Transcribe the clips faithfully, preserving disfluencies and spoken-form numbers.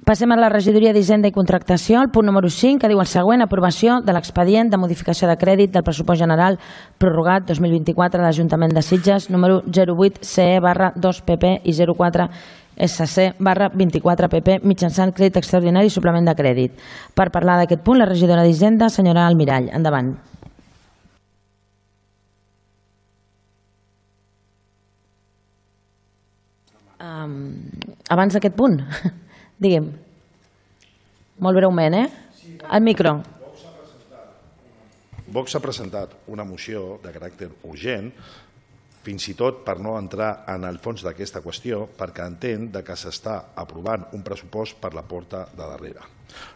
Passem a la regidoria d'Hisenda i Contractació, el punt número cinc, que diu el següent: aprovació de l'expedient de modificació de crèdit del pressupost general prorrogat dos mil vint-i-quatre de l'Ajuntament de Sitges, número zero vuit C E barra dos P P i zero quatre S C barra vint-i-quatre P P, mitjançant crèdit extraordinari i suplement de crèdit. Per parlar d'aquest punt, la regidora d'Hisenda, senyora Almirall. Endavant. Um, abans d'aquest punt, digui'm, molt breument, eh? Al micro. Vox ha presentat una moció de caràcter urgent, fins i tot per no entrar en el fons d'aquesta qüestió, perquè entén que s'està aprovant un pressupost per la porta de darrere.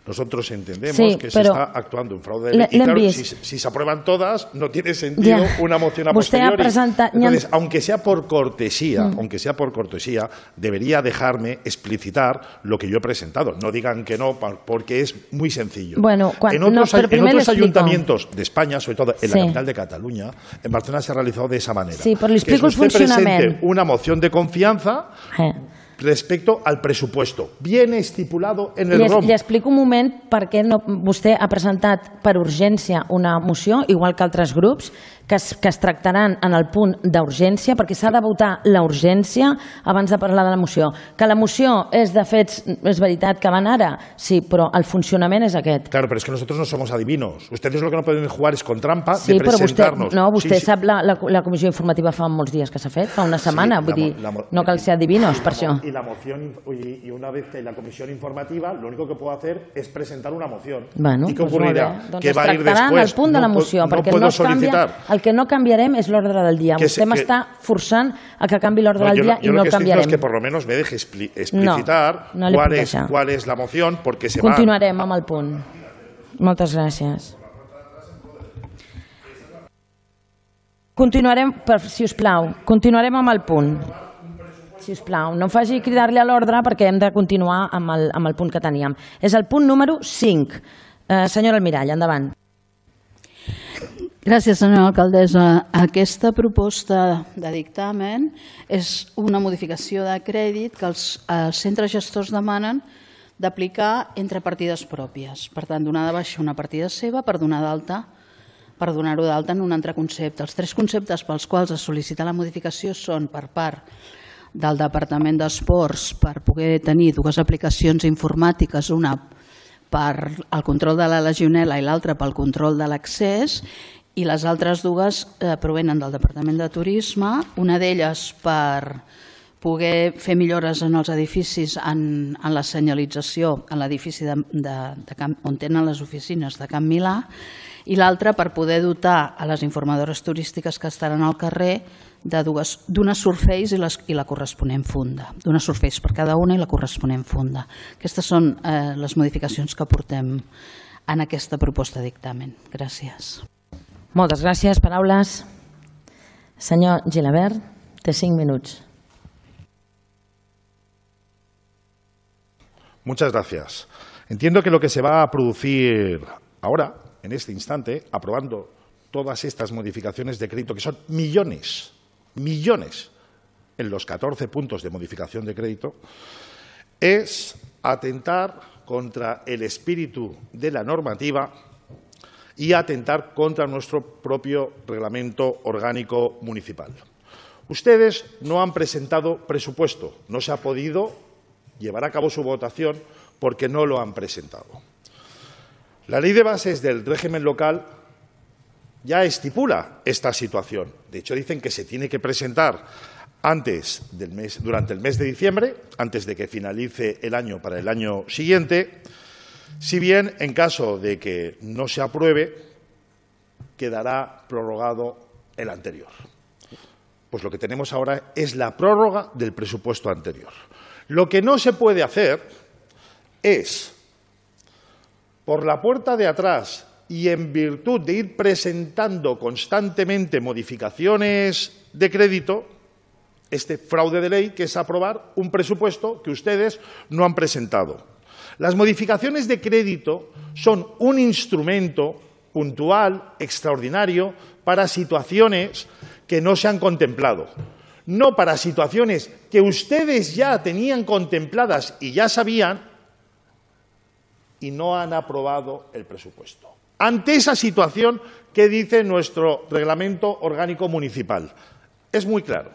Nosotros entendemos sí, que se está actuando un fraude de ley. Y claro, si, si se aprueban todas, no tiene sentido ya. una moción a posteriori. Presenta... Entonces, aunque sea por cortesía, mm. aunque sea por cortesía, debería dejarme explicitar lo que yo he presentado. No digan que no, porque es muy sencillo. Bueno, cuando, en otros, no, en otros ayuntamientos de España, sobre todo en sí. la capital de Cataluña, en Barcelona se ha realizado de esa manera. Sí, pero le explico que el funcionamiento. Presente una moción de confianza eh. respecto al presupuesto. Viene estipulado en el li, R O M. Li explico un moment per què no, vostè ha presentat per urgència una moció, igual que altres grups, que es, que es tractaran en el punt d'urgència, perquè s'ha de votar la urgència abans de parlar de la moció. Que la moció és de fets, és veritat que van ara, sí, però el funcionament és aquest. Claro, pero es que nosotros no somos adivinos. Ustedes lo que no pueden jugar es con trampa sí, de presentarnos. Vostè, no, vostè sí, sap, la, la, la comissió informativa fa molts dies que s'ha fet, fa una setmana, sí, vull la, dir, la, no cal ser adivinos per això. Y la moción, y una vez que la comisión informativa, lo único que puedo hacer es presentar una moción. Bueno, ¿Y qué pues ocurrirá? Doncs que va a ir después. El punt de la moció, no, no perquè puedo no es canvia, el que no canviarem és l'ordre del dia. Que Vostè m'està forçant a que canvi l'ordre no, del dia yo, i no el canviarem. Yo lo que estoy diciendo es que por lo menos me deje expli explicitar no, no cuál, es, cuál es la moción, porque se Continuarem va... amb el punt. Moltes gràcies. Continuarem, si us plau, continuarem amb el punt. Si us plau, no em faci cridar-li a l'ordre perquè hem de continuar amb el, amb el punt que teníem. És el punt número cinc. Eh, senyora Almirall, endavant. Gràcies, senyora alcaldessa. Aquesta proposta de dictamen és una modificació de crèdit que els, els centres gestors demanen d'aplicar entre partides pròpies. Per tant, donar de baixa una partida seva per donar d'alta per donar-ho d'alta en un altre concepte. Els tres conceptes pels quals es sol·licita la modificació són per part del Departament d'Esports per poder tenir dues aplicacions informàtiques, una per al control de la legionel·la i l'altra pel control de l'accés, i les altres dues eh, provenen del Departament de Turisme, una d'elles per poder fer millores en els edificis en, en la senyalització en l'edifici de, de, de Camp, on tenen les oficines de Camp Milà, i l'altra per poder dotar a les informadores turístiques que estaran al carrer d'una Surface i, les, i la corresponent funda. D'una Surface per cada una i la corresponent funda. Aquestes són eh, les modificacions que portem en aquesta proposta de dictamen. Gràcies. Moltes gràcies. Paraules. Senyor Gilabert, té cinc minuts. Muchas gracias. Entiendo que lo que se va a producir ahora, en este instante, aprobando todas estas modificaciones de crédito, que son millones, millones, en los catorce puntos de modificación de crédito, es atentar contra el espíritu de la normativa y atentar contra nuestro propio reglamento orgánico municipal. Ustedes no han presentado presupuesto, no se ha podido llevar a cabo su votación porque no lo han presentado. La Ley de Bases del régimen local ya estipula esta situación. De hecho, dicen que se tiene que presentar antes del mes, durante el mes de diciembre, antes de que finalice el año para el año siguiente. Si bien, en caso de que no se apruebe, quedará prorrogado el anterior. Pues lo que tenemos ahora es la prórroga del presupuesto anterior. Lo que no se puede hacer es, por la puerta de atrás y en virtud de ir presentando constantemente modificaciones de crédito, este fraude de ley, que es aprobar un presupuesto que ustedes no han presentado. Las modificaciones de crédito son un instrumento puntual, extraordinario, para situaciones que no se han contemplado, no para situaciones que ustedes ya tenían contempladas y ya sabían y no han aprobado el presupuesto. Ante esa situación, ¿qué dice nuestro reglamento orgánico municipal? Es muy claro.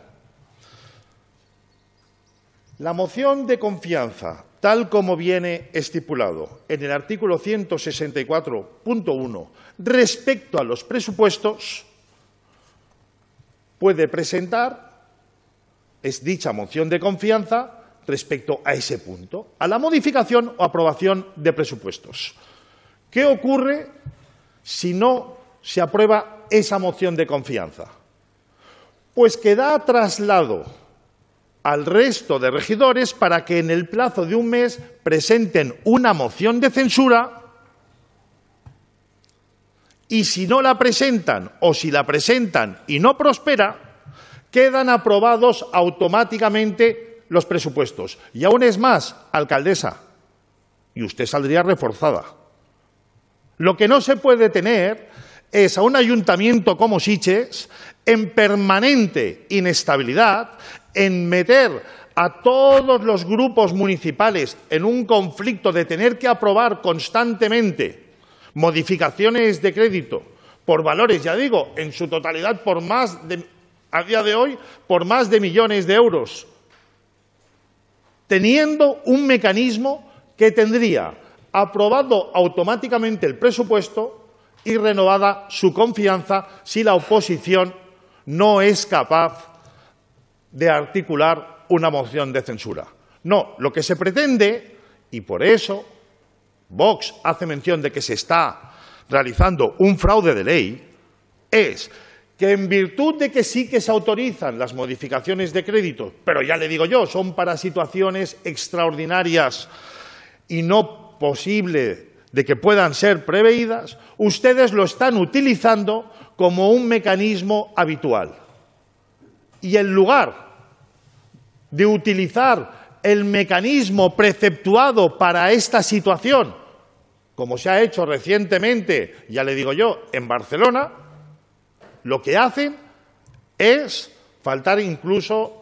La moción de confianza, tal como viene estipulado en el artículo ciento sesenta y cuatro punto uno, respecto a los presupuestos, puede presentar, es dicha moción de confianza, respecto a ese punto, a la modificación o aprobación de presupuestos. ¿Qué ocurre si no se aprueba esa moción de confianza? Pues que da traslado al resto de regidores para que en el plazo de un mes presenten una moción de censura y si no la presentan o si la presentan y no prospera, quedan aprobados automáticamente los presupuestos. Y aún es más, alcaldesa, y usted saldría reforzada. Lo que no se puede tener es a un ayuntamiento como Sitges en permanente inestabilidad, en meter a todos los grupos municipales en un conflicto de tener que aprobar constantemente modificaciones de crédito por valores, ya digo, en su totalidad por más de, a día de hoy, por más de millones de euros, teniendo un mecanismo que tendría aprobado automáticamente el presupuesto y renovada su confianza si la oposición no es capaz de articular una moción de censura. No, lo que se pretende, y por eso Vox hace mención de que se está realizando un fraude de ley, es que en virtud de que sí que se autorizan las modificaciones de crédito, pero ya le digo yo, son para situaciones extraordinarias y no posible de que puedan ser preveídas, ustedes lo están utilizando como un mecanismo habitual. Y en lugar de utilizar el mecanismo preceptuado para esta situación, como se ha hecho recientemente, ya le digo yo, en Barcelona, lo que hacen es faltar incluso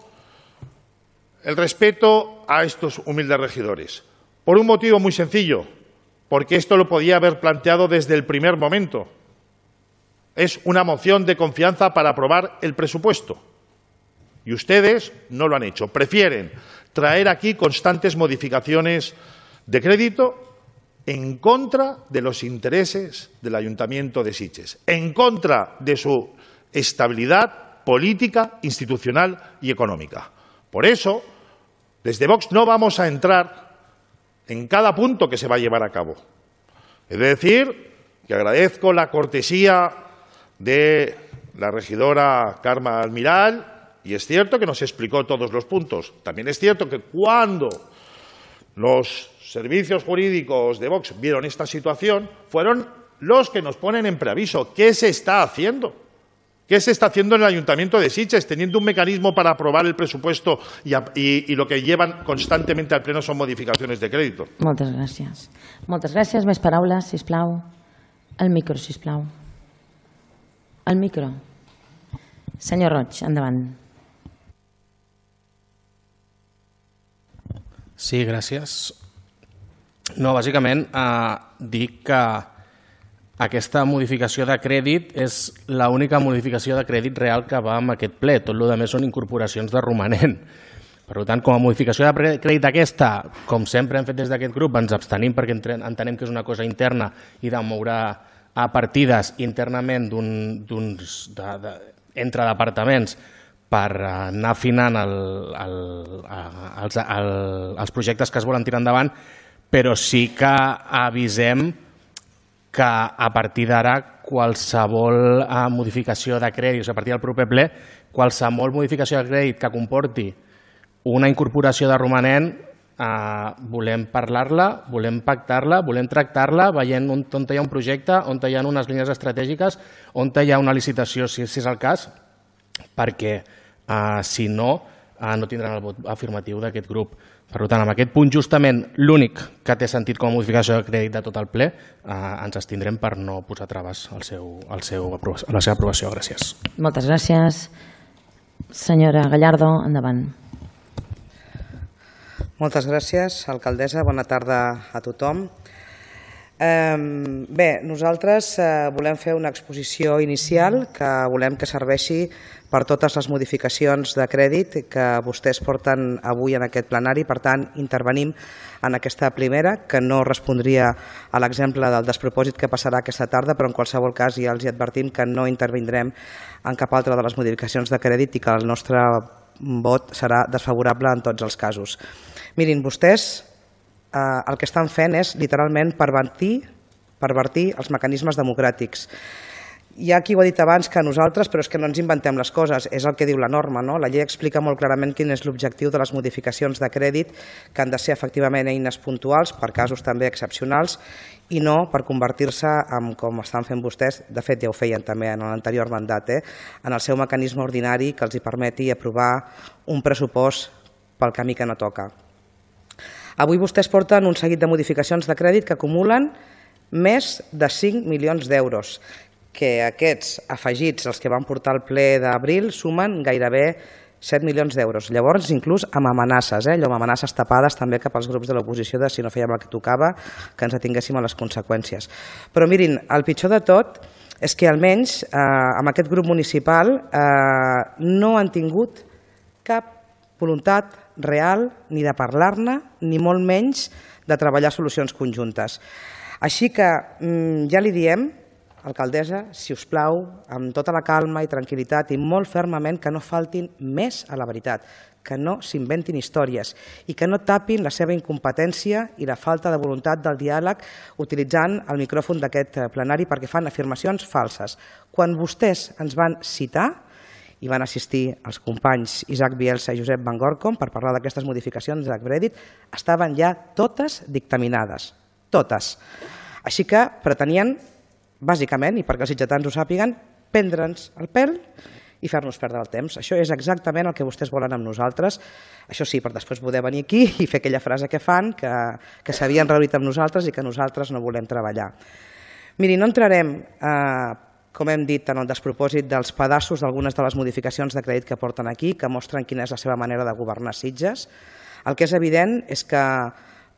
el respeto a estos humildes regidores. Por un motivo muy sencillo, porque esto lo podía haber planteado desde el primer momento. Es una moción de confianza para aprobar el presupuesto. Y ustedes no lo han hecho. Prefieren traer aquí constantes modificaciones de crédito en contra de los intereses del Ayuntamiento de Sitges, en contra de su estabilidad política, institucional y económica. Por eso, desde Vox no vamos a entrar en cada punto que se va a llevar a cabo. Es decir, que agradezco la cortesía de la regidora Carme Almiral, y es cierto que nos explicó todos los puntos. También es cierto que cuando los servicios jurídicos de Vox vieron esta situación, fueron los que nos ponen en preaviso. ¿Qué se está haciendo? ¿Qué se está haciendo en el Ayuntamiento de Sitges, teniendo un mecanismo para aprobar el presupuesto y, y, y lo que llevan constantemente al Pleno son modificaciones de crédito? Moltes gràcies. Moltes gràcies. Més paraules, sisplau. El micro, sisplau. El micro. Senyor Roig, endavant. Sí, gràcies. No, bàsicament, eh, dic que aquesta modificació de crèdit és l'única modificació de crèdit real que va amb aquest ple. Tot el que més són incorporacions de romanent. Per tant, com a modificació de crèdit aquesta, com sempre hem fet des d'aquest grup, ens abstenim perquè entenem que és una cosa interna i de moure a partides internament entre departaments per anar afinant els projectes que es volen tirar endavant, però sí que avisem que a partir d'ara qualsevol modificació de crèdit, a partir del proper ple, qualsevol modificació de crèdit que comporti una incorporació de romanent, volem parlar-la, volem pactar-la, volem tractar-la, veient on hi ha un projecte, on hi ha unes línies estratègiques, on hi ha una licitació, si és el cas, perquè si no, no tindran el vot afirmatiu d'aquest grup. Per tant, en aquest punt, justament l'únic que té sentit com a modificació de crèdit de tot el ple, ens abstindrem per no posar traves a la seva aprovació. Gràcies. Moltes gràcies. Senyora Gallardo, endavant. Moltes gràcies, alcaldessa. Bona tarda a tothom. Bé, nosaltres volem fer una exposició inicial que volem que serveixi per totes les modificacions de crèdit que vostès porten avui en aquest plenari. Per tant, intervenim en aquesta primera, que no respondria a l'exemple del despropòsit que passarà aquesta tarda, però en qualsevol cas ja els advertim que no intervindrem en cap altra de les modificacions de crèdit i que el nostre vot serà desfavorable en tots els casos. Mirin, vostès el que estan fent és literalment pervertir, pervertir els mecanismes democràtics. Hi ha qui ho ha dit abans que nosaltres, però és que no ens inventem les coses, és el que diu la norma. La llei explica molt clarament quin és l'objectiu de les modificacions de crèdit, que han de ser efectivament eines puntuals, per casos també excepcionals, i no per convertir-se en, com estan fent vostès, de fet ja ho feien també en l'anterior mandat, en el seu mecanisme ordinari que els permeti aprovar un pressupost pel camí que no toca. Avui vostès porten un seguit de modificacions de crèdit que acumulen més de cinc milions d'euros, que aquests afegits, els que van portar al ple d'abril, sumen gairebé set milions d'euros. Llavors, inclús amb amenaces, allò amb amenaces tapades també cap als grups de l'oposició de si no fèiem el que tocava, que ens atinguéssim a les conseqüències. Però mirin, el pitjor de tot és que almenys amb aquest grup municipal no han tingut cap voluntat real ni de parlar-ne, ni molt menys de treballar solucions conjuntes. Així que ja li diem, alcaldessa, si us plau, amb tota la calma i tranquil·litat i molt fermament que no faltin més a la veritat, que no s'inventin històries i que no tapin la seva incompetència i la falta de voluntat del diàleg utilitzant el micròfon d'aquest plenari perquè fan afirmacions falses. Quan vostès ens van citar i van assistir els companys Isaac Bielsa i Josep Van Gorkom per parlar d'aquestes modificacions de crèdit, estaven ja totes dictaminades, totes. Així que pretenien, bàsicament, i perquè els sitgetans ho sàpiguen, prendre'ns el pèl i fer-nos perdre el temps. Això és exactament el que vostès volen amb nosaltres. Això sí, per després poder venir aquí i fer aquella frase que fan, que s'havien reunit amb nosaltres i que nosaltres no volem treballar. Miri, no entrarem, com hem dit, en el despropòsit dels pedaços d'algunes de les modificacions de crèdit que porten aquí, que mostren quina és la seva manera de governar Sitges. El que és evident és que,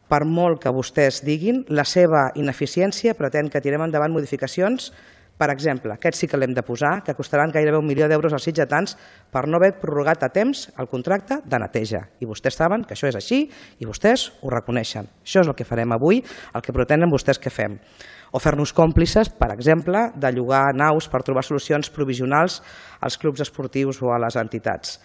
per molt que vostès diguin, la seva ineficiència pretén que tirem endavant modificacions. Per exemple, aquest sí que l'hem de posar, que costaran gairebé un milió d'euros als sitgetans per no haver prorrogat a temps el contracte de neteja. I vostès saben que això és així i vostès ho reconeixen. Això és el que farem avui, el que pretenen vostès que fem. O fer-nos còmplices, per exemple, de llogar naus per trobar solucions provisionals als clubs esportius o a les entitats.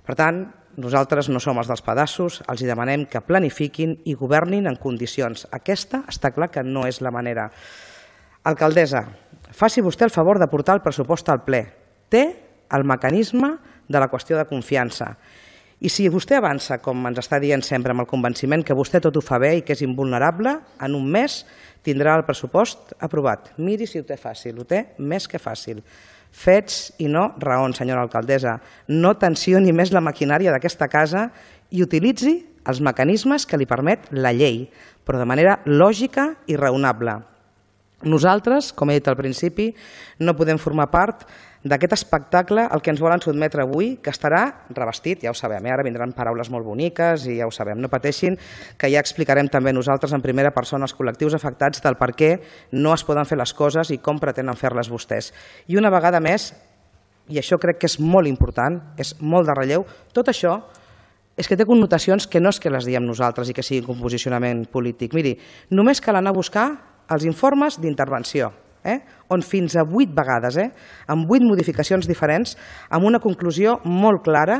Per tant, nosaltres no som els dels pedaços, els demanem que planifiquin i governin en condicions. Aquesta està clar que no és la manera. Alcaldessa, faci vostè el favor de portar el pressupost al ple. Té el mecanisme de la qüestió de confiança. I si vostè avança, com ens està dient sempre, amb el convenciment que vostè tot ho fa bé i que és invulnerable, en un mes tindrà el pressupost aprovat. Miri si ho té fàcil, ho té més que fàcil. Fets i no raons, senyora alcaldessa. No tensioni més la maquinària d'aquesta casa i utilitzi els mecanismes que li permet la llei, però de manera lògica i raonable. Nosaltres, com he dit al principi, no podem formar part d'aquest espectacle al que ens volen sotmetre avui, que estarà revestit, ja ho sabem, ara vindran paraules molt boniques i ja ho sabem, no pateixin, que ja explicarem també nosaltres en primera persona als col·lectius afectats del per què no es poden fer les coses i com pretenen fer-les vostès. I una vegada més, i això crec que és molt important, és molt de relleu, tot això és que té connotacions que no és que les diem nosaltres i que sigui un posicionament polític. Miri, només cal anar a buscar els informes d'intervenció, on fins a vuit vegades, amb vuit modificacions diferents, amb una conclusió molt clara,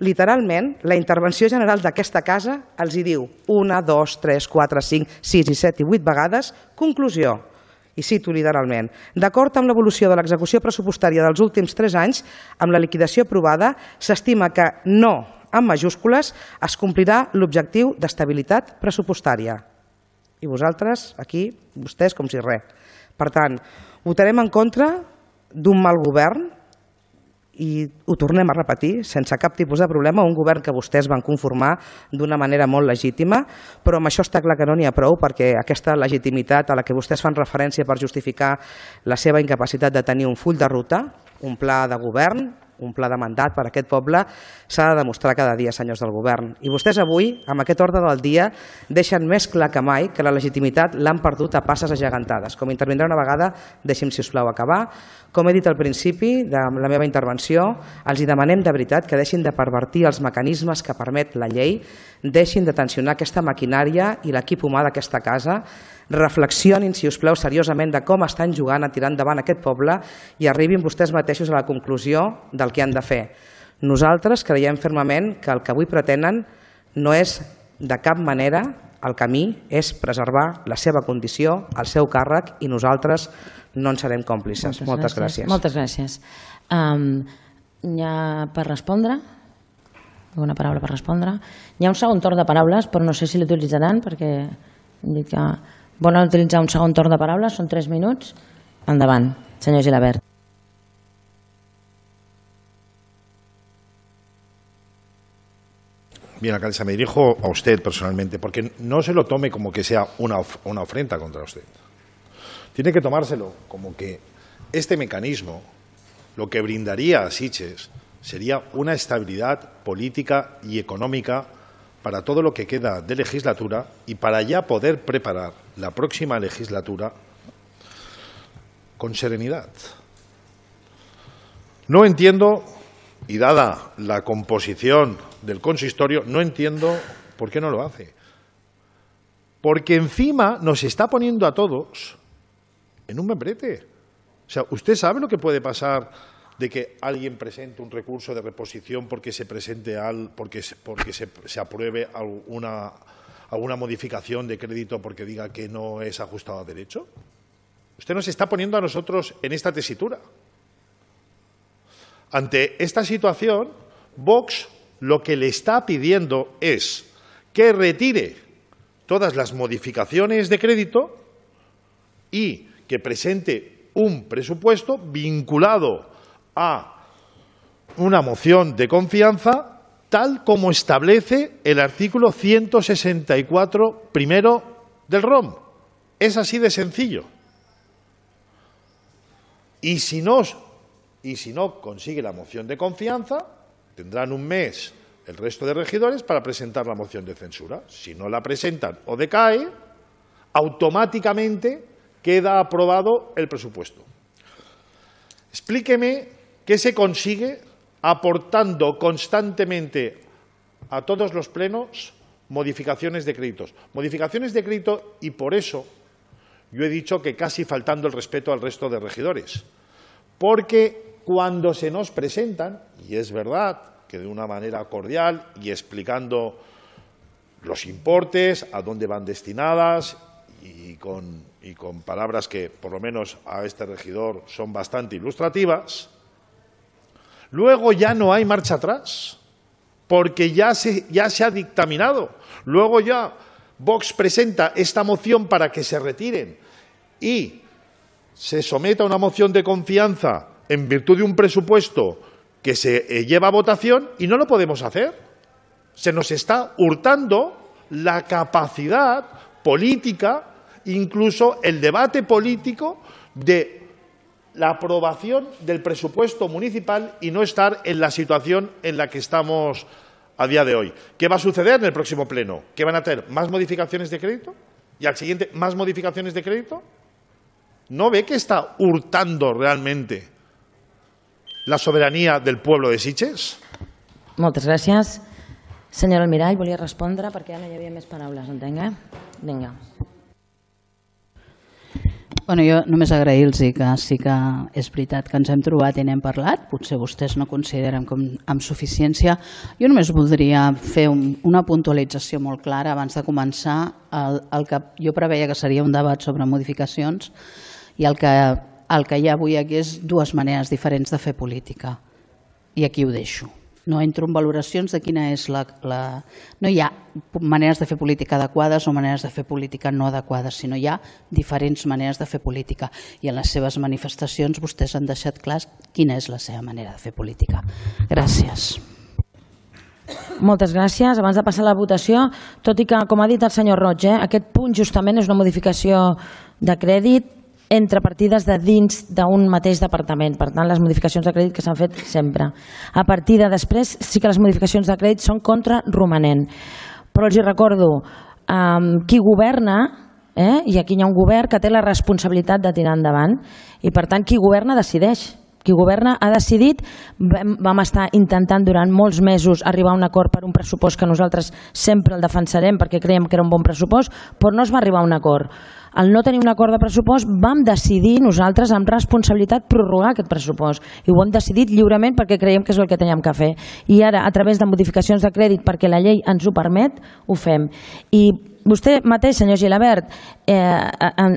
literalment, la intervenció general d'aquesta casa els hi diu una, dos, tres, quatre, cinc, sis i set i vuit vegades, conclusió, i cito literalment, d'acord amb l'evolució de l'execució pressupostària dels últims tres anys, amb la liquidació aprovada, s'estima que no, en majúscules, es complirà l'objectiu d'estabilitat pressupostària. I vosaltres, aquí, vostès com si res. Per tant, votarem en contra d'un mal govern i ho tornem a repetir, sense cap tipus de problema, un govern que vostès van conformar d'una manera molt legítima, però amb això està clar que no n'hi ha prou perquè aquesta legitimitat a la que vostès fan referència per justificar la seva incapacitat de tenir un full de ruta, un pla de govern, un pla de mandat per a aquest poble, s'ha de demostrar cada dia, senyors del govern. I vostès avui, amb aquest ordre del dia, deixen més clar que mai que la legitimitat l'han perdut a passes agegantades. Com intervindrà una vegada, deixi'm, si us plau, acabar. Com he dit al principi de la meva intervenció, els hi demanem de veritat que deixin de pervertir els mecanismes que permet la llei, deixin de tensionar aquesta maquinària i l'equip humà d'aquesta casa, reflexionin, si us plau, seriosament de com estan jugant a tirar endavant aquest poble i arribin vostès mateixos a la conclusió del que han de fer. Nosaltres creiem fermament que el que avui pretenen no és de cap manera el camí, és preservar la seva condició, el seu càrrec, i nosaltres no en serem còmplices. Moltes, Moltes gràcies. gràcies. Moltes gràcies. Um, hi ha per respondre? Una paraula per respondre? Hi ha un segon torn de paraules, però no sé si l'utilitzaran, perquè hem dit que volen utilitzar un segon torn de paraules, són tres minuts. Endavant, senyor Gilabert. Bien, alcaldesa, me dirijo a usted personalmente, porque no se lo tome como que sea una, of una ofrenda contra usted. Tiene que tomárselo como que este mecanismo lo que brindaría a Sitges sería una estabilidad política y económica para todo lo que queda de legislatura y para ya poder preparar la próxima legislatura con serenidad. No entiendo, y dada la composición del consistorio, no entiendo por qué no lo hace. Porque encima nos está poniendo a todos en un membrete. O sea, ¿usted sabe lo que puede pasar de que alguien presente un recurso de reposición porque se presente al, porque, se, porque se, se apruebe alguna, alguna modificación de crédito porque diga que no es ajustado a derecho? Usted nos está poniendo a nosotros en esta tesitura. Ante esta situación, Vox lo que le está pidiendo es que retire todas las modificaciones de crédito y que presente un presupuesto vinculado a una moción de confianza tal como establece el artículo ciento sesenta y cuatro primero del R O M. Es así de sencillo. Y si no, y si no consigue la moción de confianza, tendrán un mes el resto de regidores para presentar la moción de censura. Si no la presentan o decae, automáticamente queda aprobado el presupuesto. Explíqueme qué se consigue aportando constantemente a todos los plenos modificaciones de créditos. Modificaciones de crédito, y por eso yo he dicho que casi faltando el respeto al resto de regidores. Porque cuando se nos presentan, y es verdad que de una manera cordial y explicando los importes, a dónde van destinadas y con, y con palabras que por lo menos a este regidor son bastante ilustrativas, luego ya no hay marcha atrás, porque ya se, ya se ha dictaminado. Luego ya Vox presenta esta moción para que se retiren y se someta a una moción de confianza en virtud de un presupuesto que se eh, lleva a votación y no lo podemos hacer. Se nos está hurtando la capacidad política, incluso el debate político de la aprobación del presupuesto municipal y no estar en la situación en la que estamos a día de hoy. ¿Qué va a suceder en el próximo pleno? ¿Que van a tener más modificaciones de crédito? ¿Y al siguiente más modificaciones de crédito? ¿No ve que está hurtando realmente la soberanía del pueblo de Sitges? Moltes gràcies. Senyor Almirall, volia respondre perquè ja no hi havia més paraules, entenc, eh? Vinga. Bueno, jo només agrair-los que sí que és veritat que ens hem trobat i n'hem parlat, potser vostès no consideren com amb suficiència. Jo només voldria fer un, una puntualització molt clara abans de començar el, el que jo preveia que seria un debat sobre modificacions i el que, el que hi ha avui aquí és dues maneres diferents de fer política. I aquí ho deixo. No entro en valoracions de quina és la, la... No hi ha maneres de fer política adequades o maneres de fer política no adequades, sinó hi ha diferents maneres de fer política. I en les seves manifestacions vostès han deixat clar quina és la seva manera de fer política. Gràcies. Moltes gràcies. Abans de passar a la votació, tot i que, com ha dit el senyor Roig, eh, aquest punt justament és una modificació de crèdit entre partides de dins d'un mateix departament. Per tant, les modificacions de crèdit que s'han fet sempre. A partir de després sí que les modificacions de crèdit són contra romanent. Però els hi recordo, um, qui governa, eh, i aquí hi ha un govern que té la responsabilitat de tirar endavant, i per tant qui governa decideix. Qui governa ha decidit, vam, vam estar intentant durant molts mesos arribar a un acord per un pressupost que nosaltres sempre el defensarem perquè creiem que era un bon pressupost, però no es va arribar a un acord. Al no tenir un acord de pressupost vam decidir nosaltres amb responsabilitat prorrogar aquest pressupost i ho hem decidit lliurement perquè creiem que és el que teníem que fer. I ara, a través de modificacions de crèdit perquè la llei ens ho permet, ho fem. I vostè mateix, senyor Gilabert, eh,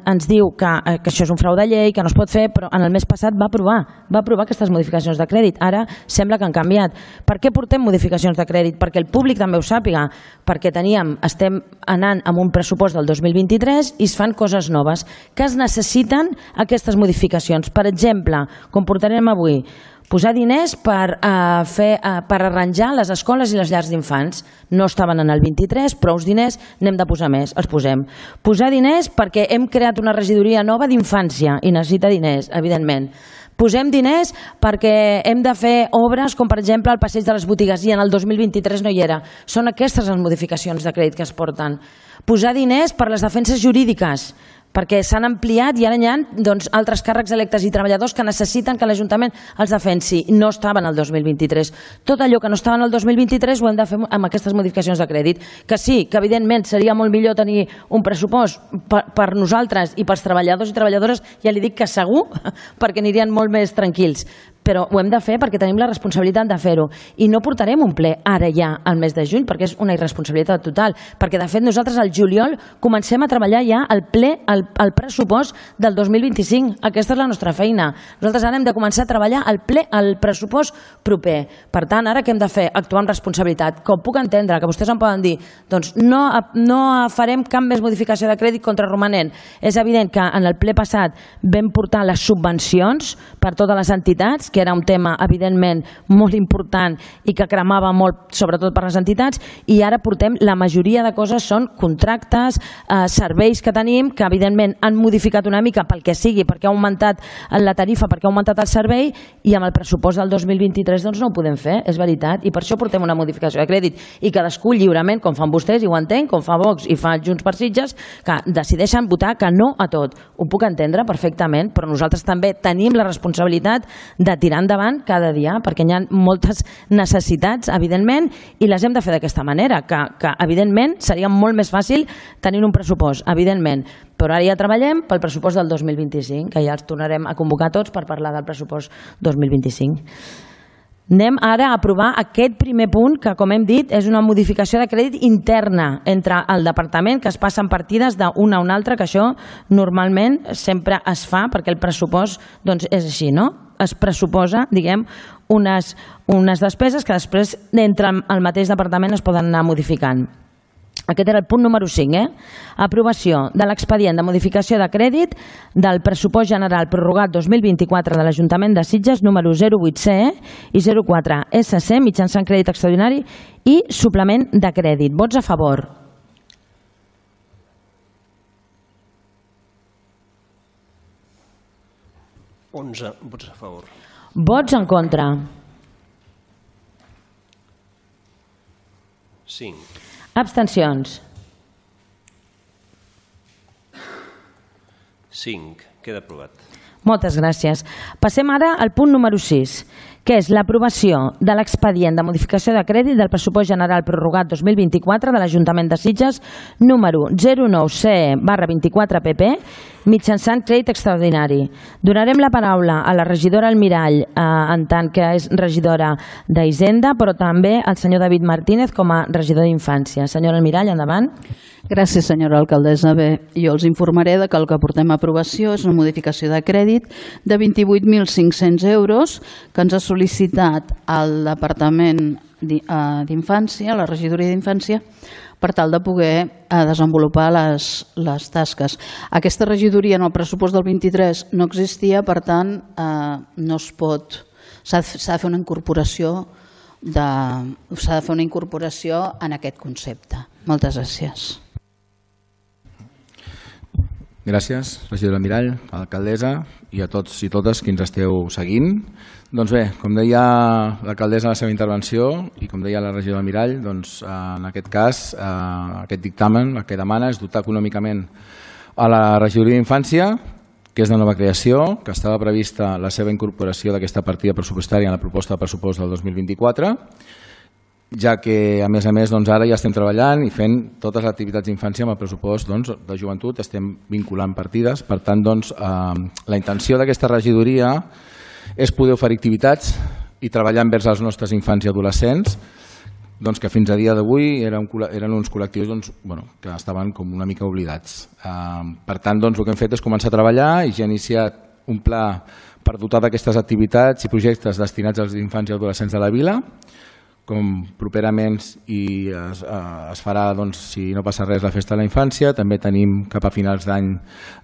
ens diu que, que això és un frau de llei, que no es pot fer, però en el mes passat va aprovar, va aprovar aquestes modificacions de crèdit. Ara sembla que han canviat. Per què portem modificacions de crèdit? Perquè el públic també ho sàpiga, perquè teníem, estem anant amb un pressupost del dos mil vint-i-tres i es fan coses noves que es necessiten aquestes modificacions. Per exemple, com portarem avui, posar diners per, uh, fer, uh, per arranjar les escoles i les llars d'infants. No estaven en el vint-i-tres, prou diners, n'hem de posar més, els posem. Posar diners perquè hem creat una regidoria nova d'infància i necessita diners, evidentment. Posem diners perquè hem de fer obres com per exemple el passeig de les botigues i en el dos mil vint-i-tres no hi era. Són aquestes les modificacions de crèdit que es porten. Posar diners per les defenses jurídiques, perquè s'han ampliat i ara hi ha doncs, altres càrrecs electes i treballadors que necessiten que l'Ajuntament els defensi. No estaven el dos mil vint-i-tres. Tot allò que no estaven el dos mil vint-i-tres ho hem de fer amb aquestes modificacions de crèdit. Que sí, que evidentment seria molt millor tenir un pressupost per, per nosaltres i pels treballadors i treballadores, ja li dic que segur, perquè anirien molt més tranquils. Però ho hem de fer perquè tenim la responsabilitat de fer-ho. I no portarem un ple ara ja al mes de juny, perquè és una irresponsabilitat total. Perquè, de fet, nosaltres al juliol comencem a treballar ja el ple, el, el pressupost del dos mil vint-i-cinc. Aquesta és la nostra feina. Nosaltres ara hem de començar a treballar el ple, el pressupost proper. Per tant, ara què hem de fer? Actuar amb responsabilitat. Com puc entendre que vostès em poden dir doncs no, no farem cap més modificació de crèdit contra romanent. És evident que en el ple passat vam portar les subvencions per totes les entitats, que era un tema, evidentment, molt important i que cremava molt, sobretot per les entitats, i ara portem, la majoria de coses són contractes, eh, serveis que tenim, que evidentment han modificat una mica pel que sigui, perquè ha augmentat la tarifa, perquè ha augmentat el servei, i amb el pressupost del dos mil vint-i-tres doncs no ho podem fer, és veritat, i per això portem una modificació de crèdit, i cadascú lliurement, com fan vostès, i ho entenc, com fa Vox i fa Junts per Sitges, que decideixen votar que no a tot. Ho puc entendre perfectament, però nosaltres també tenim la responsabilitat de tirar endavant cada dia, perquè hi ha moltes necessitats, evidentment, i les hem de fer d'aquesta manera, que, que evidentment seria molt més fàcil tenir un pressupost, evidentment, però ara ja treballem pel pressupost del dos mil vint-i-cinc, que ja els tornarem a convocar tots per parlar del pressupost dos mil vint-i-cinc. Anem ara a aprovar aquest primer punt, que, com hem dit, és una modificació de crèdit interna entre el departament, que es passen partides d'una a una altra, que això normalment sempre es fa, perquè el pressupost doncs, és així, no? Es pressuposa, diguem, unes, unes despeses que després, entre el mateix departament, es poden anar modificant. Aquest era el punt número cinc, eh? Aprovació de l'expedient de modificació de crèdit del pressupost general prorrogat dos mil vint-i-quatre de l'Ajuntament de Sitges, número zero vuit C E i zero quatre S C, mitjançant crèdit extraordinari i suplement de crèdit. Vots a favor? onze vots a favor. Vots en contra? cinc. Abstencions? cinc. Queda aprovat. Moltes gràcies. Passem ara al punt número sis, que és l'aprovació de l'expedient de modificació de crèdit del pressupost general prorrogat dos mil vint-i-quatre de l'Ajuntament de Sitges, número zero nou C E barra vint-i-quatre P P, mitjançant crèdit extraordinari. Donarem la paraula a la regidora Almirall, eh, en tant que és regidora d'Hisenda, però també al senyor David Martínez com a regidor d'Infància. Senyora Almirall, endavant. Gràcies, senyora alcaldessa. Bé, jo els informaré de que el que portem a aprovació és una modificació de crèdit de vint-i-vuit mil cinc-cents euros que ens ha sol·licitat el Departament d'Infància, la regidoria d'Infància, per tal de poder desenvolupar les, les tasques. Aquesta regidoria en el pressupost del vint-i-tres no existia, per tant, no es pot, s'ha de fer una incorporació de, s'ha de fer una incorporació en aquest concepte. Moltes gràcies. Gràcies, regidora Mirall, alcaldessa i a tots i totes qui ens esteu seguint. Doncs bé, com deia l'alcaldessa en la seva intervenció i com deia la regidora Mirall, doncs en aquest cas aquest dictamen el que demana és dotar econòmicament a la regidoria d'Infància, que és de nova creació, que estava prevista la seva incorporació d'aquesta partida pressupostària en la proposta de pressupost del dos mil vint-i-quatre, ja que, a més a més, ara ja estem treballant i fent totes les activitats d'infància amb el pressupost de joventut, estem vinculant partides. Per tant, la intenció d'aquesta regidoria és poder oferir activitats i treballar envers els nostres infants i adolescents, que fins a dia d'avui eren uns col·lectius que estaven com una mica oblidats. Per tant, el que hem fet és començar a treballar i ja hem iniciat un pla per dotar d'aquestes activitats i projectes destinats als infants i adolescents de la vila, com properament i es, es farà, si no passa res, la festa de la infància. També tenim cap a finals d'any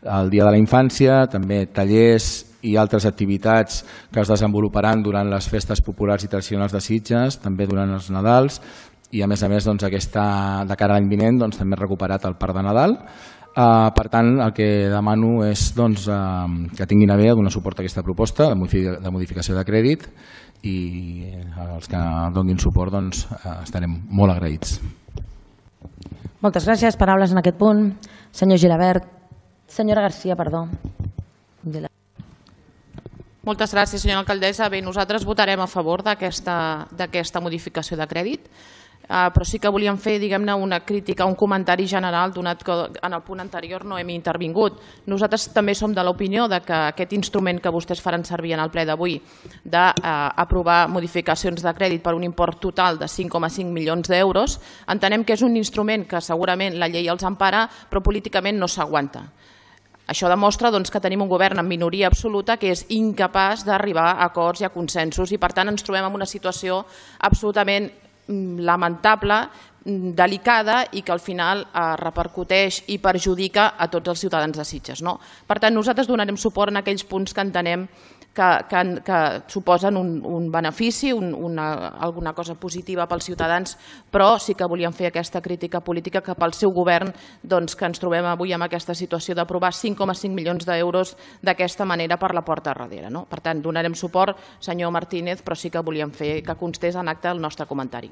el Dia de la Infància, també tallers i altres activitats que es desenvoluparan durant les festes populars i tradicionals de Sitges, també durant els Nadals, i a més a més aquesta, de cara a l'any vinent també he recuperat el Parc de Nadal. Per tant, el que demano és que tinguin a bé donar suport a aquesta proposta de modificació de crèdit i els que donin suport estarem molt agraïts. Moltes gràcies. Paraules en aquest punt. Senyor Gilabert. Senyora Garcia, perdó. Moltes gràcies, senyora alcaldessa. Bé, nosaltres votarem a favor d'aquesta modificació de crèdit, però sí que volíem fer, diguem-ne, una crítica, un comentari general, donat que en el punt anterior no hem intervingut. Nosaltres també som de l'opinió que aquest instrument que vostès faran servir en el ple d'avui d'aprovar modificacions de crèdit per un import total de cinc coma cinc milions d'euros, entenem que és un instrument que segurament la llei els empara, però políticament no s'aguanta. Això demostra que tenim un govern en minoria absoluta que és incapaç d'arribar a acords i a consensos i, per tant, ens trobem en una situació absolutament lamentable, delicada i que al final repercuteix i perjudica a tots els ciutadans de Sitges. Per tant, nosaltres donarem suport en aquells punts que entenem que suposen un benefici, alguna cosa positiva pels ciutadans, però sí que volíem fer aquesta crítica política cap al seu govern, que ens trobem avui en aquesta situació d'aprovar cinc coma cinc milions d'euros d'aquesta manera per la porta darrere. Per tant, donarem suport, senyor Martínez, però sí que volíem fer que constés en acte el nostre comentari.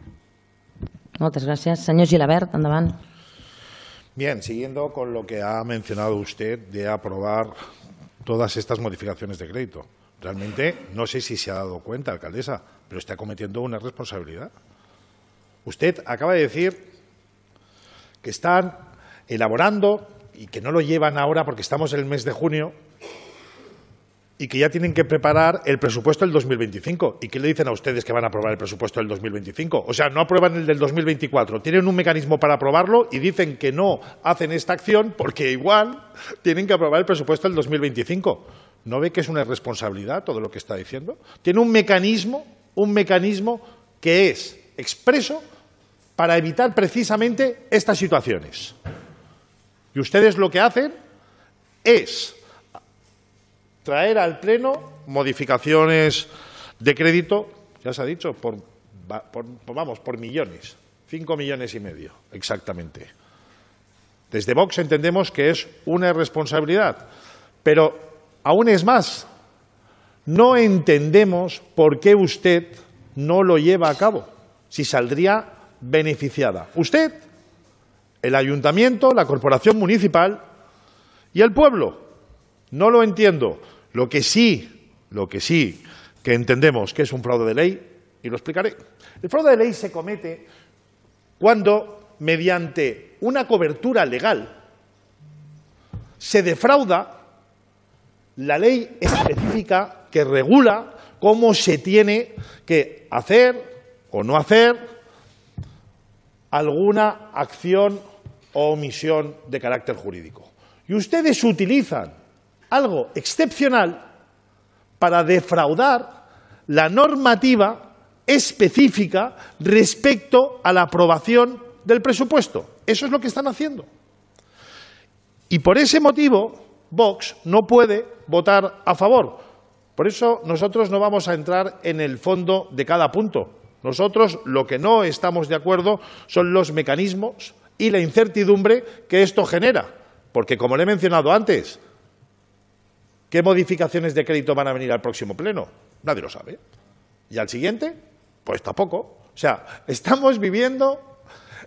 Moltes gràcies. Senyor Gilabert, endavant. Bien, siguiendo con lo que ha mencionado usted de aprobar todas estas modificaciones de crédito. Realmente no sé si se ha dado cuenta, alcaldesa, pero está cometiendo una responsabilidad. Usted acaba de decir que están elaborando y que no lo llevan ahora porque estamos en el mes de junio y que ya tienen que preparar el presupuesto del dos mil veinticinco. ¿Y qué le dicen a ustedes que van a aprobar el presupuesto del dos mil veinticinco? O sea, no aprueban el del dos mil veinticuatro, tienen un mecanismo para aprobarlo y dicen que no hacen esta acción porque igual tienen que aprobar el presupuesto del dos mil veinticinco. ¿No ve que es una irresponsabilidad todo lo que está diciendo? Tiene un mecanismo, un mecanismo que es expreso para evitar precisamente estas situaciones. Y ustedes lo que hacen es traer al Pleno modificaciones de crédito, ya se ha dicho, por, por, vamos, por millones, cinco millones y medio, exactamente. Desde Vox entendemos que es una irresponsabilidad, pero aún es más, no entendemos por qué usted no lo lleva a cabo, si saldría beneficiada. Usted, el ayuntamiento, la corporación municipal y el pueblo. No lo entiendo. Lo que sí, lo que sí que entendemos que es un fraude de ley, y lo explicaré. El fraude de ley se comete cuando, mediante una cobertura legal, se defrauda la ley específica que regula cómo se tiene que hacer o no hacer alguna acción o omisión de carácter jurídico. Y ustedes utilizan algo excepcional para defraudar la normativa específica respecto a la aprobación del presupuesto. Eso es lo que están haciendo. Y por ese motivo, Vox no puede votar a favor. Por eso nosotros no vamos a entrar en el fondo de cada punto. Nosotros lo que no estamos de acuerdo son los mecanismos y la incertidumbre que esto genera. Porque, como le he mencionado antes, ¿qué modificaciones de crédito van a venir al próximo pleno? Nadie lo sabe. ¿Y al siguiente? Pues tampoco. O sea, estamos viviendo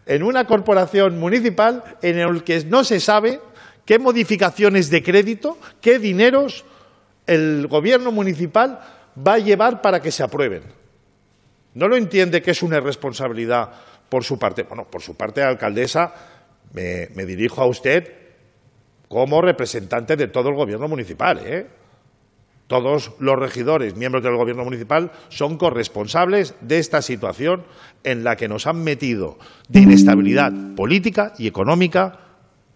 en una corporación municipal en el que no se sabe qué modificaciones de crédito, qué dineros el gobierno municipal va a llevar para que se aprueben. ¿No lo entiende que es una irresponsabilidad por su parte? Bueno, por su parte, alcaldesa, me, me dirijo a usted como representante de todo el gobierno municipal, ¿eh? Todos los regidores, miembros del gobierno municipal, son corresponsables de esta situación en la que nos han metido de inestabilidad política y económica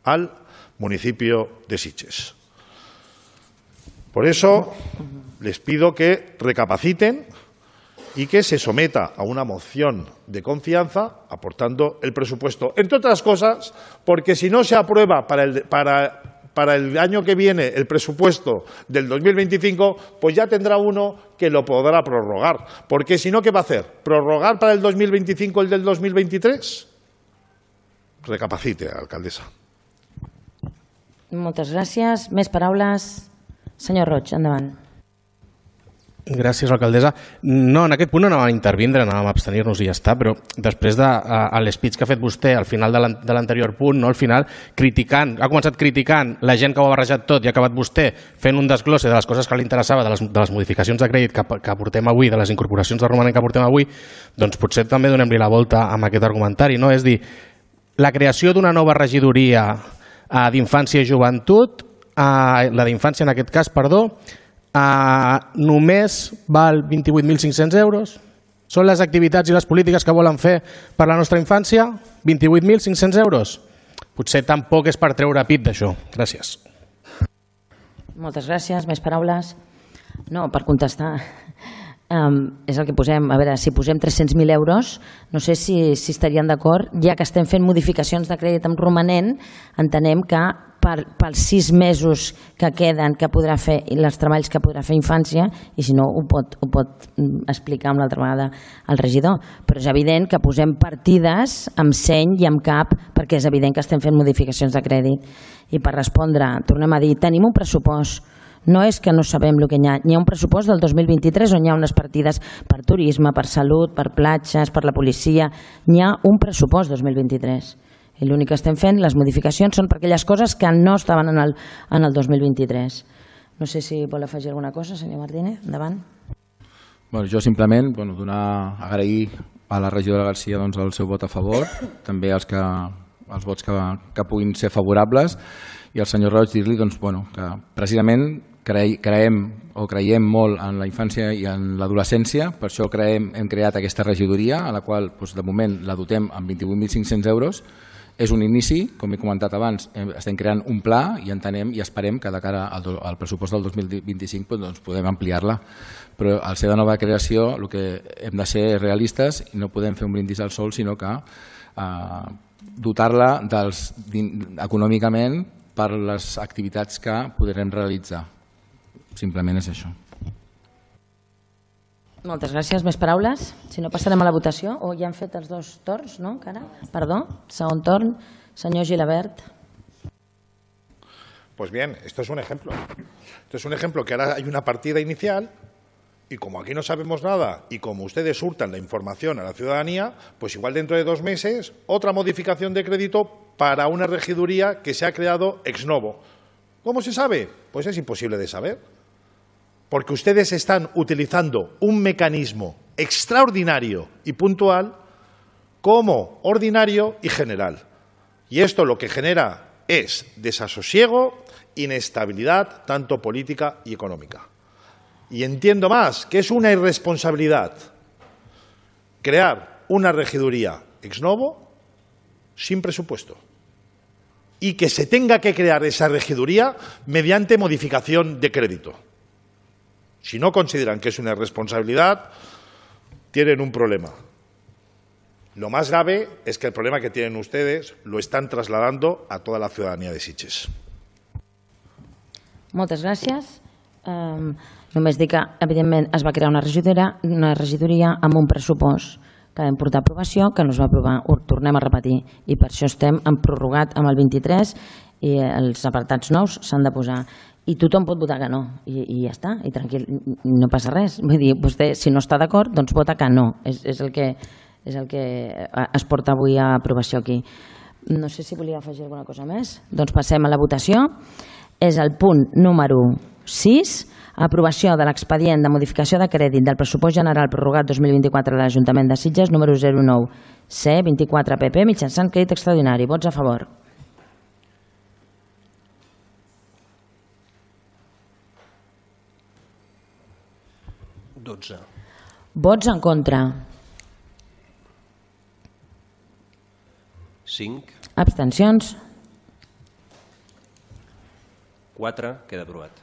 al municipio de Sitges. Por eso les pido que recapaciten y que se someta a una moción de confianza aportando el presupuesto, entre otras cosas, porque si no se aprueba para el, para, para el año que viene el presupuesto del dos mil veinticinco, pues ya tendrá uno que lo podrá prorrogar. Porque si no, ¿qué va a hacer? ¿Prorrogar para el dos mil veinticinco el del dos mil veintitrés? Recapacite, alcaldesa. Moltes gràcies. Més paraules. Senyor Roig, endavant. Gràcies, alcaldessa. No, en aquest punt no anàvem a intervindre, anàvem a abstenir-nos i ja està, però després de l'espeech que ha fet vostè al final de l'anterior punt, no, al final, criticant, ha començat criticant la gent que ho ha barrejat tot i ha acabat vostè fent un desglosse de les coses que li interessava, de les, de les modificacions de crèdit que, que portem avui, de les incorporacions de romanent que portem avui, doncs potser també donem-li la volta amb aquest argumentari, no? És dir, la creació d'una nova regidoria d'infància i joventut, la d'infància en aquest cas, perdó, Uh, només val vint-i-vuit mil cinc-cents euros. Són les activitats i les polítiques que volen fer per la nostra infància? vint-i-vuit mil cinc-cents euros? Potser tampoc és per treure pit d'això. Gràcies. Moltes gràcies. Més paraules? No, per contestar. Um, és el que posem. A veure, si posem tres-cents mil euros, no sé si, si estarien d'acord, ja que estem fent modificacions de crèdit amb romanent, entenem que per, pels sis mesos que queden que podrà fer i els treballs que podrà fer infància, i si no ho pot, ho pot explicar amb l'altra vegada el regidor, però és evident que posem partides amb seny i amb cap perquè és evident que estem fent modificacions de crèdit. I per respondre, tornem a dir, tenim un pressupost. No és que no sabem el que hi ha. Hi ha un pressupost del dos mil vint-i-tres on hi ha unes partides per turisme, per salut, per platges, per la policia. Hi ha un pressupost dos mil vint-i-tres. I l'únic que estem fent, les modificacions, són per aquelles coses que no estaven en el, en el dos mil vint-i-tres. No sé si vol afegir alguna cosa, senyor Martínez. Endavant. Bueno, jo simplement bueno, donar, agrair a la regidora Garcia doncs, el seu vot a favor, també els, que, els vots que, que puguin ser favorables, i al senyor Roig dir-li doncs, bueno, que precisament creiem o creiem molt en la infància i en l'adolescència, per això creem, hem creat aquesta regidoria, a la qual doncs, de moment la dotem amb vint-i-vuit mil cinc-cents euros. És un inici, com he comentat abans, estem creant un pla i entenem i esperem que de cara al, al pressupost del dos mil vint-i-cinc doncs, podem ampliar-la. Però al ser de nova creació el que hem de ser realistes i no podem fer un brindis al sol, sinó que eh, dotar-la econòmicament per les activitats que podrem realitzar. Simplement és això. Moltes gràcies. Més paraules? Si no, passarem a la votació. O ja han fet els dos torns, no? Encara? Perdó, segon torn. Senyor Gilabert. Pues bien, esto es un ejemplo. Esto es un ejemplo que ahora hay una partida inicial y como aquí no sabemos nada y como ustedes hurtan la información a la ciudadanía, pues igual dentro de dos meses otra modificación de crédito para una regiduría que se ha creado ex novo. ¿Cómo se sabe? Pues es imposible de saber. Porque ustedes están utilizando un mecanismo extraordinario y puntual como ordinario y general. Y esto lo que genera es desasosiego, inestabilidad, tanto política y económica. Y entiendo más que es una irresponsabilidad crear una regiduría ex novo sin presupuesto y que se tenga que crear esa regiduría mediante modificación de crédito. Si no consideran que es una irresponsabilidad, tienen un problema. Lo más grave es que el problema que tienen ustedes lo están trasladando a toda la ciudadanía de Sitges. Moltes gràcies. Um, només dir que, evidentment, es va crear una regidoria, una regidoria amb un pressupost que vam portar a aprovació, que no es va aprovar, ho tornem a repetir, i per això estem en prorrogat amb el vint-i-tres i els apartats nous s'han de posar. I tothom pot votar que no, i, i ja està, i tranquil, no passa res. Vull dir, vostè, si no està d'acord, doncs vota que no. És, és, el que, és el que es porta avui a aprovació aquí. No sé si volia afegir alguna cosa més. Doncs passem a la votació. És el punt número sis, aprovació de l'expedient de modificació de crèdit del pressupost general prorrogat dos mil vint-i-quatre de l'Ajuntament de Sitges, número zero nou C vint-i-quatre P P, mitjançant crèdit extraordinari. Vots a favor. dotze. Vots en contra. cinc. Abstencions. quatre. Queda aprovat.